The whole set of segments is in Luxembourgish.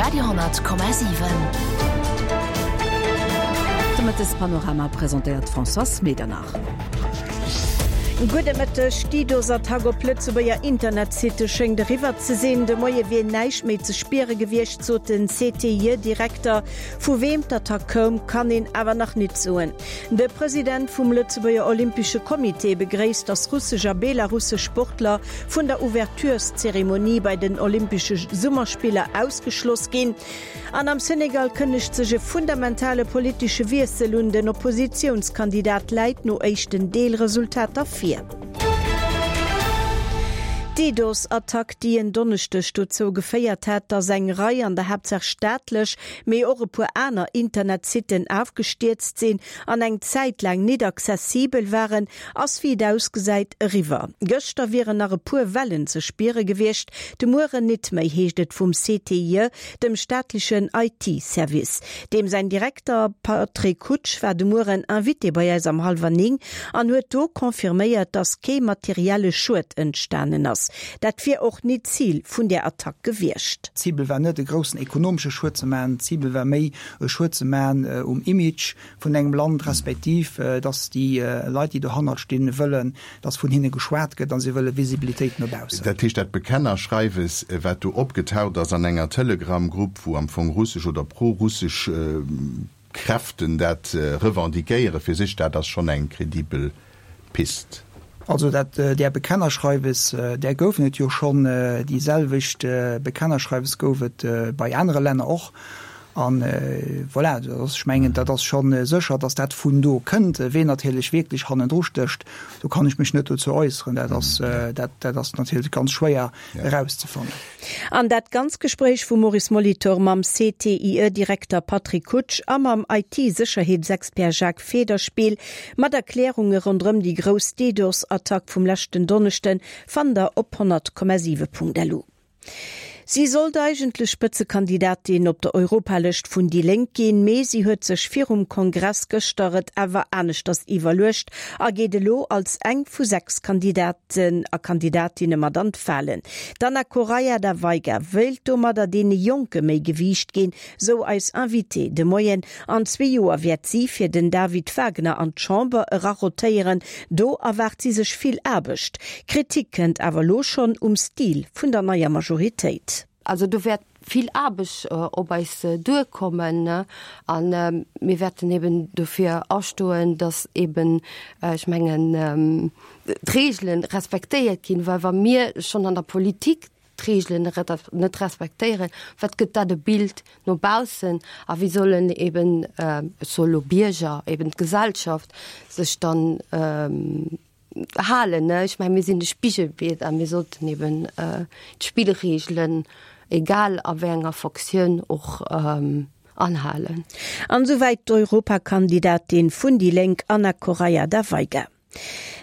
Radio,7. De Mëttespanorama presentéiert d'Françoise Medernach. Gudde Mëtteg. D'DDoS-Attack op Lëtzebuerger Internetsitte schéngt eriwwer ze sinn. De Moie wier näischt méi ze spiere gewiescht, sot den CTIE-Direkter. Vu weem d'Attack koum, kann een awer nach nit soen. De President vum Lëtzebuerger Olympesche Comité begréisst, datt russesch a belarussesch Sportler vun der Ouvertureszeremonie bei den Olympesche Summerspiller ausgeschloss ginn. An am Senegal kënnegt sech e fundamentale politesche Wiessel un, den Oppositiounskandidat läit no éischten Deelresultater vir. D'DDoS-Attack, déi en Donneschdeg dozou geféiert hat, datt eng Rei, an der Haaptsaach staatlech, mee och e puer aner Internetsitten afgestierzt sinn an eng Zäit laang nit accessibel waren, ass wéi et ausgesäit eriwwer. Gëschter wieren nach e puer Wellen ze spiere gewiescht, de Mueren nit méi, heescht et vum CTIE, dem staatlechen IT-Service. Deem säin Direkter Patrick Hutsch war de Mueren Invité bei eis am Hallwer 9 an huet do confirméiert, datt kee materielle Schued entstanen ass. Dat wier och nit d'Zil vun där Attack gewiescht. D'Cibel war net e groussen ekonomesche Schued ze maachen, d'Cibel war méi e Schued ze maachen um Image vun engem Land, respektiv datt déi Leit, déi dohannert stinn, wëllen, datt vun hinne geschwat gëtt a si wëlle Visibilitéit no baussen. Dat heescht, dat Bekennerschreiwes, wat do opgetaucht ass an enger Telegram-Grupp, wou am Fong russesch oder pro-russesch Kräften dat revendiquéiere fir sech, dat ass schonn eng credibel Pist. Also dat, där Bekennerschreiwes, där goufen et jo schonn. Déi selwecht Bekennerschreiwes gouf et bei anere Länner och. A voilà, dat ass, ech mengen, dat ass scho sécher, datt dat vun do kënnt. Ween natierlech wierklech hannendru stécht, do kann ech mech net dozou äusseren. Dat ass, dat, dat ass natierlech ganz schwéier erauszefannen. An dat ganz Gespréich vum Maurice Molitor mam CTIE-Direkter Patrick Kutsch a mam IT-Sécherheetsexpert Jacques Federspiel, mat Erklärunge ronderëm déi grouss DDoS-Attack vum leschten Donneschden, fannt der op 100,7.lu. Si sollt eigentlech Spëtzekandidatin op der Europalëscht vun déi Lénk ginn, mee si huet sech virum Kongress gëschter et awer aneschters iwwerluecht a geet elo als eng vu 6 Kandidaten a Kandidatinne mat an d'Walen. D'Ana Correia da Veiga wéilt domadder deene Jonke méi Gewiicht ginn, sou eis Invitée de Moien. An zwee Joer wäert si fir den David Wagner an d'Chamber erarotéieren. Do erwaart si sech vill Aarbecht. Kritik kënnt awer elo schonn um Stil vun der neier Majoritéit. Also do wäert vill Aarbecht op eis duerkommen a mir wäerten eben dofir astoen, datt eben, ech mengen, d'Reegele respektéiert ginn, well wa mir schonn an der Politik d'Reegelen net respektéieren, wat gëtt dat e Bild no baussen a wéi sollen eben, ech soe lo Bierger, eben d'Gesellschaft sech dann halen. Ech mengen, mir sinn de Spigelbild a mir sollten eben d'Spillreegelen, egal a wéi enger Fonctioun och, anhalen. An esouwäit d'Europakandidatin vun déi Lénk Anna Correia da Veiga.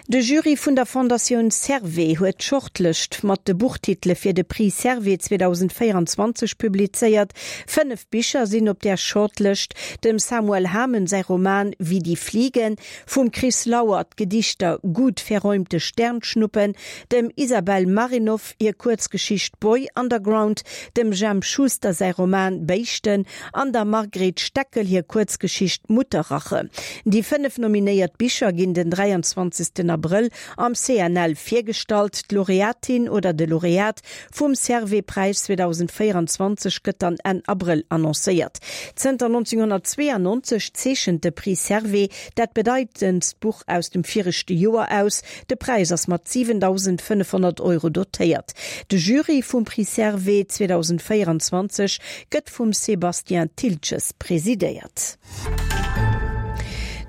De Jury vun der Fondatioun Servais huet d'Shortlëscht mat de Buchtitele fir de Prix Servais 2024 publizéiert. 5 Bicher sinn op där Shortlëscht, dem Samuel Hamen säi Roman Wie die fliegen, vum Chris Lauer d'Gedichter Gut verräumte Sternschnuppen, dem Isabel Marinov hir Kuerzgeschicht Boy Underground, dem Jemp Schuster säi Roman Béischten an der Margret Steckel hir Kuerzgeschicht Mutterrache. Déi 5 nominéiert Bicher ginn den 23 Abrëll am CNL virgestallt. D'Laureatin oder de Laureat vum Servais-Präis 2024 gëtt dann Enn Abrëll annoncéiert. Zënter 1992 zeechent de Prix Servais dat bedeitendst Buch aus dem viregte Joer aus, De Präis ass mat 7.500 Euro dotéiert. De Jury vum Prix Servais 2024 gëtt vum Sébastien Thiltges presidéiert.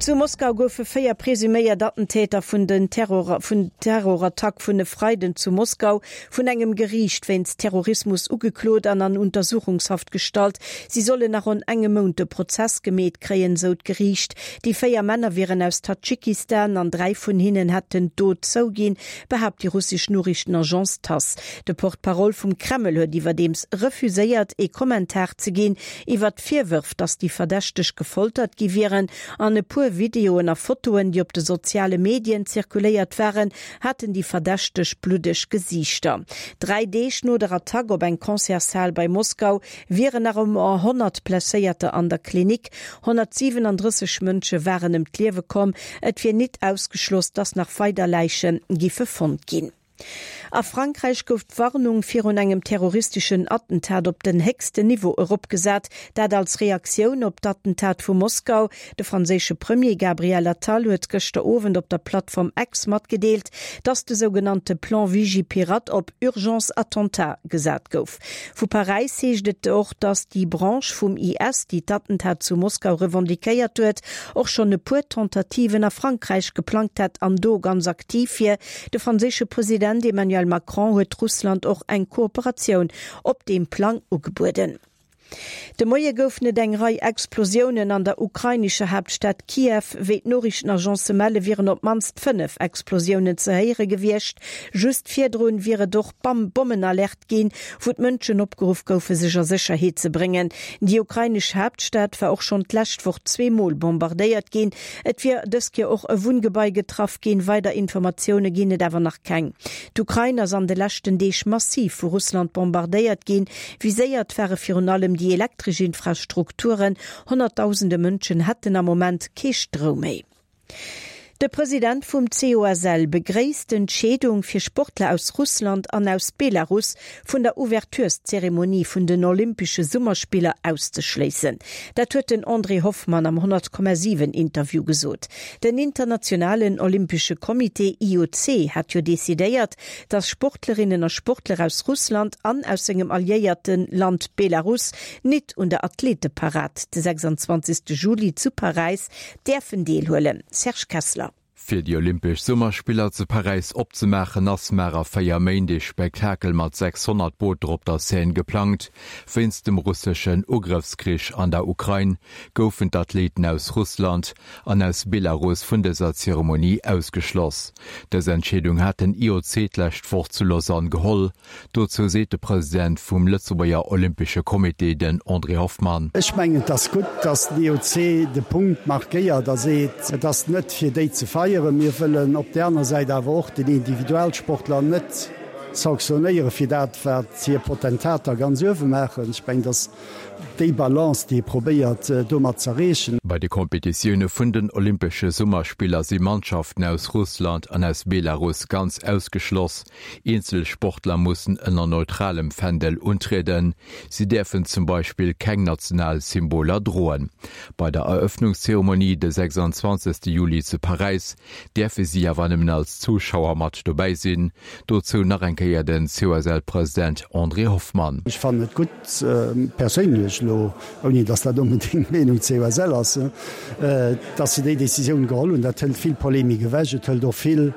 Zu Moskau goufe 4 presuméiert Attentäter vun den Terror vun Terrorattack vun e Freiden zu Moskau vun engem Geriicht wéinst Terrorismus ugeklot an an Untersuchungshaft gestallt. Si sollen nach ronn engem Mount de Prozess gemeet kréien, sou d'Geriicht. Déi 4 Männer wieren aus Tadschikistan an 3 vun hinnen hätten d'Dot zouginn, behaapt déi russesch Noriichtenagence Tass. De Porte-parole vum Kreml huet iwwerdeems refuséiert, ee Kommentar ze ginn iwwer d'Virwërf, datt déi Verdächteg gefoltert gi wieren. An e puer. puer Videoen a Fotoen, déi op de soziale Medien zirkuléiert waren, haten déi Verdächteg bluddeg Gesiichter. 3 Deeg no der Attack op eng Concertshal bei Moskau wieren nach ëmmer 100 Blesséierter an der Klinik. 137 Mënsche waren ëm d'Liewe komm. Et wier nit ausgeschloss, datt nach weider Läiche giffe fonnt ginn. A Frankräich gouf d'Warnung virun engem terroristeschen Attentat op den héchsten Niveau eropgesat, dat als Reaktioun op d'Attentat vu Moskau. De franséische Premier Gabriel Attal huet gëschter Owend op der Plattform X matgedeelt, datt de sougenannte Plan Vigipirate op Urgence Attentat gesat gouf. Vu Paräis heescht et och, datt déi Branche vum IS, déi d'Attentat zu Moskau revendiquéiert huet, och schonn e puer Tentativen a Frankräich geplangt hätt an do ganz aktiv wier. De franséische President Emmanuel Macron huet Russland och eng Kooperatioun op deem Plang ugebueden. De Moie goufen et eng Rei Explosiounen an der ukrainescher Haaptstad Kiew. Wéi d'Noriichtenagencë melle wieren op d'mannst 5 Explosiounen ze héiere gewiescht. Just virdrun wier et och Bommenalerte ginn, wou d'Mënschen opgeruff goufe sech a Sécherheet ze bréngen. Déi ukrainesch Haaptstad war och schonn d'lescht Woch zweemol bombardéiert ginn. Et wier dës Kéier och e Wunngebai getraff ginn. Weider Informatioune ginn et awer nach keng. D'Ukrain ass an de leschten Deeg massiv vu Russland bombardéiert ginn. Viséiert ware virun allem déi elektresch Infrastrukturen. Honnertdausende Mënschen hätten am Moment kee Stroum méi. De President vum COSL begréisst d'Entscheedung, fir Sportler aus Russland an aus Belarus vun der Ouvertureszeremonie vun den Olympesche Summerspiller auszeschléissen. Dat huet den André Hoffmann am 100,7 Interview gesot. Den internationalen Olympesche Comité, IOC, hat jo decidéiert, datt Sportlerinnen a Sportler aus Russland an aus sengem alliéierte Land Belarus nit un der Athleteparad de 26. Juli zu Paräis däerfen deelhuelen. Serge Kessler. Fir déi Olympesch Summerspiller zu Paräis opzemaachen, ass mar a 4 Méint ee Spektakel mat 600 Booter op der Seine geplangt. Wéinst dem russeschen Ugrëffskrich an der Ukrain goufen d'Athleten aus Russland an aus Belarus vun dëser Zeremonie ausgeschloss. Dës Entscheedung hat den IOC d'lescht Woch zu Lausanne geholl. Dozou seet de President vum Lëtzebuerger Olympesche Comité, den André Hoffmann. Ech mengen, et ass gutt, datt den IOC de Punkt markéiert a seet, et ass net fir déi ze feieren. Mir wëllen op där aner Säit awer och den Individualsportler net sanktionéiere fir dat, wat hir Potentater ganz uewe maachen. Ech mengen, et ass déi Balance, déi ee probéiert domat z'erreechen. Bei de Kompetitioune vun den Olympesche Summerspiller si Mannschaften aus Russland an aus Belarus ganz ausgeschloss. Eenzel Sportler mussen ënner neutralem Fändel untrieden. Si däerfen zum Beispill keng national Symboler droen. Bei der Erëffnungszeremonie de 26 Juli zu Paräis däerfe si awer nëmmen als Zuschauer mat dobäi sinn. Dozou nach eng Kéier den COSL-President André Hoffmann. Ech fannen et gutt, perséinlech elo, ouni datt dat onbedéngt d'Meenung COSL ass, datt se déi Decisioun geholl hunn. Dat hëlt vill Polemik ewech. Et hëlt och vill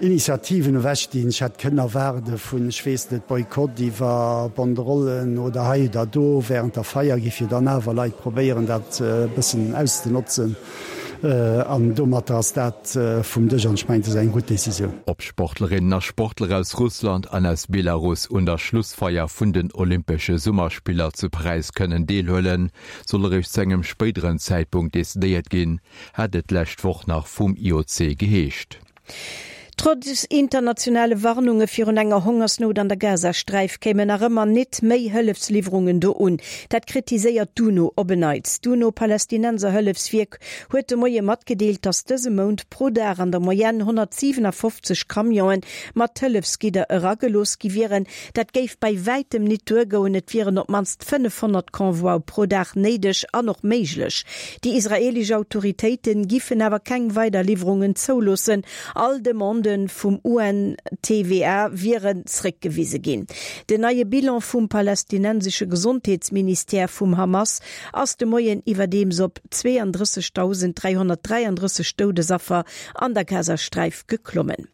Initiativen ewech, déi ech hätt kënnen erwaarde vun, ech weess net, Boykott iwwer Banderollen oder hei oder do während der Feier, géif jo dann awer Leit probéieren, dat e bëssen auszenotzen. An domatter ass dat vum Dësch an ech mengen, dat ass eng gutt Decisioun. Ob Sportlerinnen a Sportler aus Russland an aus Belarus un der Schlussfeier vun den Olympesche Summerspiller zu Paräis kënnen deelhuelen, soll eréischt zu engem spéideren Zäitpunkt decidéiert ginn, hat et d'lescht Woch nach vum IOC geheescht. Trotz internationale Warnunge virun enger Hongersnout an der Gazasträif kéimen nach ëmmer nit méi Hëllefsliwwerungen do un. Dat kritiséiert d'UNO op en Neits. D'UNO-Palästinenserhëllefswierk huet de Moie matgedeelt, datt dëse Mount pro Dag an der Moyenne 157 Camionen mat Hëllefsgidder eragelooss gi wieren. Dat géif bäi wäitem nit duergoen, et wieren op d'mannst 500 Convoie pro Dag néideg an och méiglech. Déi israeelesch Autoritéite giffen awer keng weider Liwwerungen zouloossen. All Demandë vum UNTWA wieren zréckgewise ginn. Den neie Bilan vum palästinensesche Gesondheetsministère vum Hamas ass de Moien iwwerdeems op 32.333 Doudesaffer an der Gazasträif geklommen.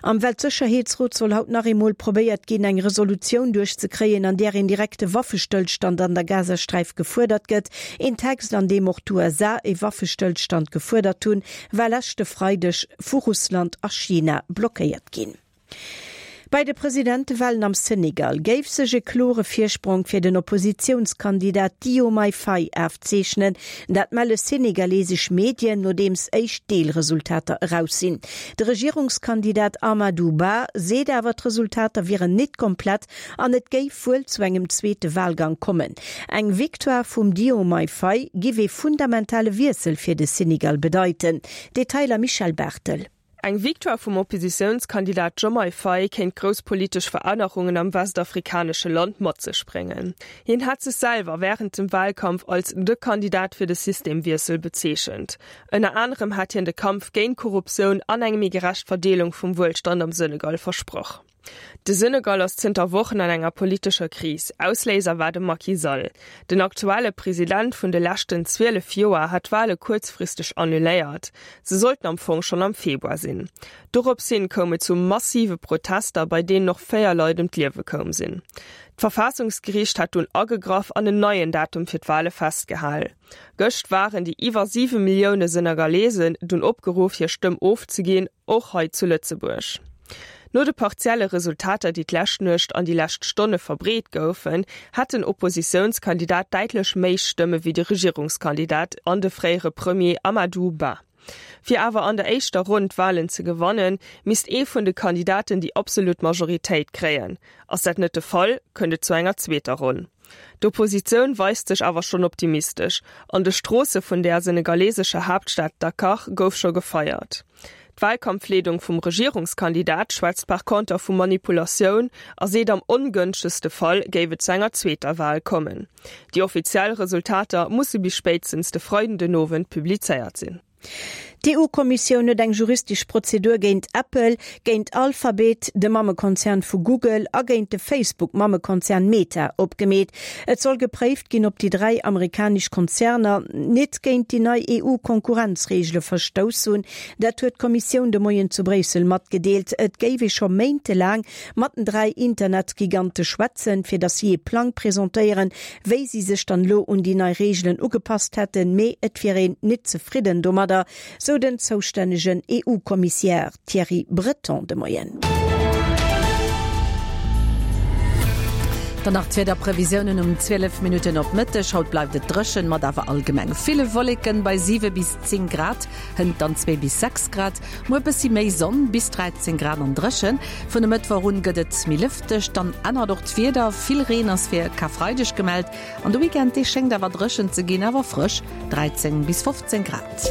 Am Weltsécherheetsrot soll haut nach eemol probéiert ginn, eng Resolutioun duerchzekréien, an där een direkte Waffestëllstand an der Gazasträif gefuerdert gëtt. Een Text, an deem och d'USA e Waffestëllstand gefuerdert hunn, war leschte Freideg vu Russland a China blockéiert ginn. Bei de Presidentewalen am Senegal géif sech e klore Virsprong fir den Oppositiounskandidat Diomaye Faye afzeechnen. Dat melle senegalesesch Medien, nodeems éischt Deelresultater eraus sinn. De Regierungskandidat Amadou Ba seet awer, d'Resultater wieren nit komplett an et géif wuel zu engem zweete Walgang kommen. Eng Victoire vum Diomaye Faye giff ee fundamentale Wiessel fir de Senegal bedeiten. Detailer Michèle Barthel. Eng Victoire vum Oppositiounskandidat Diomaye Faye kéint grouss politesch Verännerungen am westafrikanesche Land mat sech bréngen. Hien hat sech selwer wärend dem Walkampf als de Kandidat fir de Systemwiessel bezeechent. Ënner anerem hat hien de Kampf géint Korruptioun an eng méi gerecht Verdeelung vum Wuelstand am Senegal versprach. De Senegal ass zënter Wochen an enger politescher Kris. Ausléiser war de Macky Sall. Den aktuelle President vun de leschten 12 Joer hat d'Wale kuerzfristeg annuléiert. Se sollten am Fong schonn am Februar sinn. Dorops hin koum et zu massive Protester, bei deenen och 4 Leit ëm d'Liewe koum sinn. D'Verfaassungsgeriicht hat dunn agegraff an en neien Datum fir d'Wale festgehal. Gëscht waren déi iwwer 7 Millioune Senegalesen dunn opgeruff, hir Stëmm ofzeginn. Och hei zu Lëtzebuerg. No de partielle Resultater, déi d'lescht Nuecht an déi lescht Stonne verbreet goufen, hätt den Oppositiounskandidat däitlech méi Stëmme wéi de Regierungskandidat an de fréiere Premier Amadou Ba. Fir awer an der éischter Ronn d'Walen ze gewannen, misst ee vun de Kandidaten déi absolut Majoritéit kréien. Ass dat net de Fall, kënnt et zu enger zweeter Ronn. D'Oppositioun weist sech awer schonn optimistesch. An de Stroosse vun der senegalesescher Haaptstad Dakar gouf scho gefeiert. D'Walkampfleedung vum Regierungskandidat schwätzt par conter vu Manipulatioun a seet am ongënschtegste Fall géif et zu enger zweeter Wal kommen. Déi offiziell Resultater musse bis spéitstens de Freiden den Owend publizéiert sinn. D'EU-Kommissioun huet eng juristesch Prozedur géint Apple, géint Alphabet, de Mammekonzern vu Google, a géint de Facebook-Mammekonzern Meta opgemeet. Et soll gepréift ginn, ob déi 3 amerikanesch Konzerner nit géint déi nei EU-Konkurrenzreegele verstouss hunn. Dat huet d'Kommissioun de Moien zu Bréissel matgedeelt. Et géif ee scho méintelaang mat den 3 Internetgigante schwätzen, fir datt si ee Plang presentéieren, wéi si sech dann elo un déi nei Reegelen ugepasst hätten, mee et wier een nit zefridden domadder, sou den zoustännegen EU-Kommissiär Thierry Breton de Moien. Dann nach d'Wiederprevisiounen um 12 Minutten op Mëtteg. Haut bleift et dréchen, mat awer allgemeng ville Wolleken bei 7 bis 10 Grad, hënt dann 2 bis 6 Grad. Muer bëssi méi Sonn, bis 13 Grad an dréchen. Vun e Mëttwoch un gëtt et méi lëfteg, dann ännert och d'Wieder. Vill Reen ass fir Karfreideg gemellt an de Weekend, dee schéngt awer dréchen ze ginn, awer frësch, 13 bis 15 Grad.